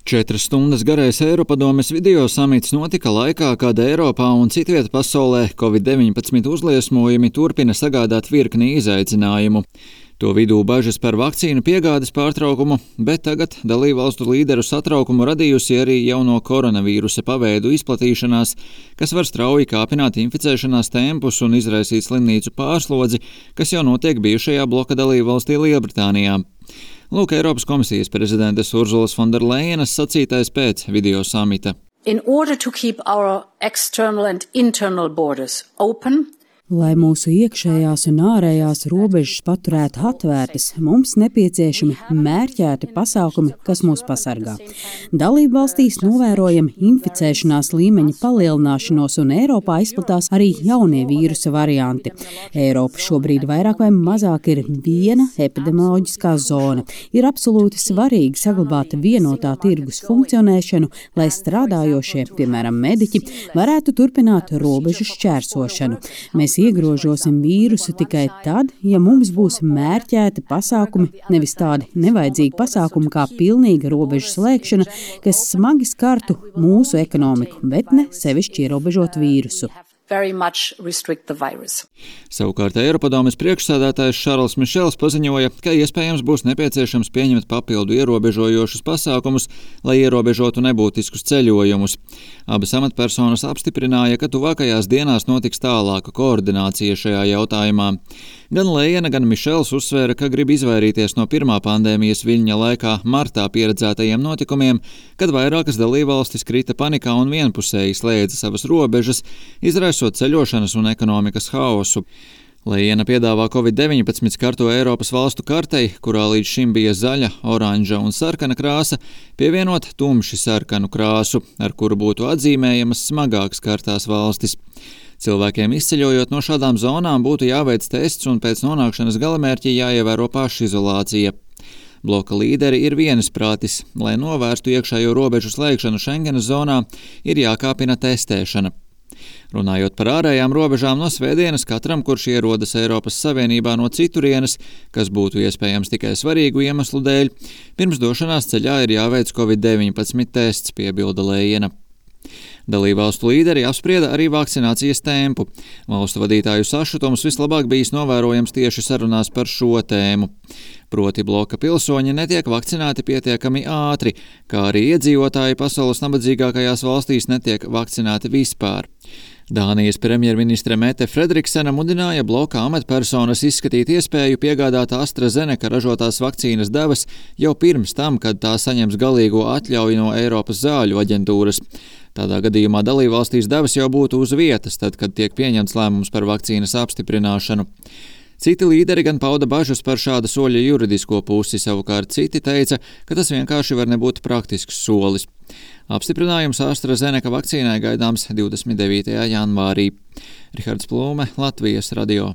4 stundas garais Eiropadomes video samits notika laikā, kad Eiropā un citviet pasaulē Covid-19 uzliesmojumi turpina sagādāt virkni izaicinājumu. To vidū bažas par vakcīnu piegādes pārtraukumu, bet tagad dalībvalstu līderu satraukumu radījusi arī jauno koronavīrusa paveidu izplatīšanās, kas var strauji kāpināt inficēšanās tempus un izraisīt slimnīcu pārslodzi, kas jau notiek bijušajā bloka dalībvalstī Lielbritānijā. Lūk, Eiropas komisijas prezidentes Urzulas Fonderlejenas sacītais pēc video samita. In order to keep our external and internal borders open, lai mūsu iekšējās un ārējās robežas paturētu atvērtas, mums nepieciešami mērķēti pasākumi, kas mūs pasargā. Dalībvalstīs novērojam inficēšanās līmeņa palielināšanos un Eiropā izplatās arī jaunie vīrusa varianti. Eiropa šobrīd vairāk vai mazāk ir viena epidemioloģiskā zona. Ir absolūti svarīgi saglabāt vienotā tirgus funkcionēšanu, lai strādājošie, piemēram, mediķi, varētu turpināt robežu šķērsošanu. Mēs iegrožosim vīrusu tikai tad, ja mums būs mērķēti pasākumi, nevis tādi nevajadzīgi pasākumi kā pilnīga robežu slēgšana, kas smagi skartu mūsu ekonomiku, bet ne sevišķi ierobežot vīrusu. Savukārt Eiropadomes priekšsēdētājs Šarls Mišels paziņoja, ka iespējams būs nepieciešams pieņemt papildu ierobežojošus pasākumus, lai ierobežotu nebūtiskus ceļojumus. Abas amatpersonas apstiprināja, ka tuvākajās dienās notiks tālāka koordinācija šajā jautājumā. Gan Lejena, gan Mišels uzsvēra, ka grib izvairīties no pirmā pandēmijas viļņa laikā martā pieredzētajiem notikumiem, kad vairākas dalībvalstis krita panikā un vienpusēji slēdza savas robežas, izraisot ceļošanas un ekonomikas haosu. Lejena piedāvā Covid-19 skarto Eiropas valstu kartei, kurā līdz šim bija zaļa, oranža un sarkana krāsa, pievienot tumši sarkanu krāsu, ar kuru būtu atzīmējamas smagāk skartās valstis. Cilvēkiem izceļojot no šādām zonām būtu jāveic tests un pēc nonākšanas galamērķī jāievēro pašizolācija. Bloka līderi ir vienisprātis, lai novērstu iekšējo robežu slēgšanu Schengenas zonā, ir jākāpina testēšana. Runājot par ārējām robežām, no svētdienas katram, kurš ierodas Eiropas Savienībā no citurienes, kas būtu iespējams tikai svarīgu iemeslu dēļ, pirms došanās ceļā ir jāveic Covid-19 tests, piebilda Lejena. Dalībvalstu līderi apsprieda arī vakcinācijas tempu. Valstu vadītāju sašutums vislabāk bijis novērojams tieši sarunās par šo tēmu. Proti bloka pilsoņi netiek vakcinēti pietiekami ātri, kā arī iedzīvotāji pasaules nabadzīgākajās valstīs netiek vakcinēti vispār. Dānijas premjerministre Mette Fredriksena mudināja bloka amatpersonas izskatīt iespēju piegādāt AstraZeneca ražotās vakcīnas devas jau pirms tam, kad tā saņems galīgo atļauju no Eiropas zāļu aģentūras. Tādā gadījumā dalībvalstīs devas jau būtu uz vietas, tad, kad tiek pieņemts lēmums par vakcīnas apstiprināšanu. Citi līderi gan pauda bažas par šāda soļa juridisko pusi, savukārt citi teica, ka tas vienkārši var nebūt praktisks solis. Apstiprinājums AstraZeneca vakcīnai gaidāms 29. janvārī. Rihards Plūme, Latvijas radio.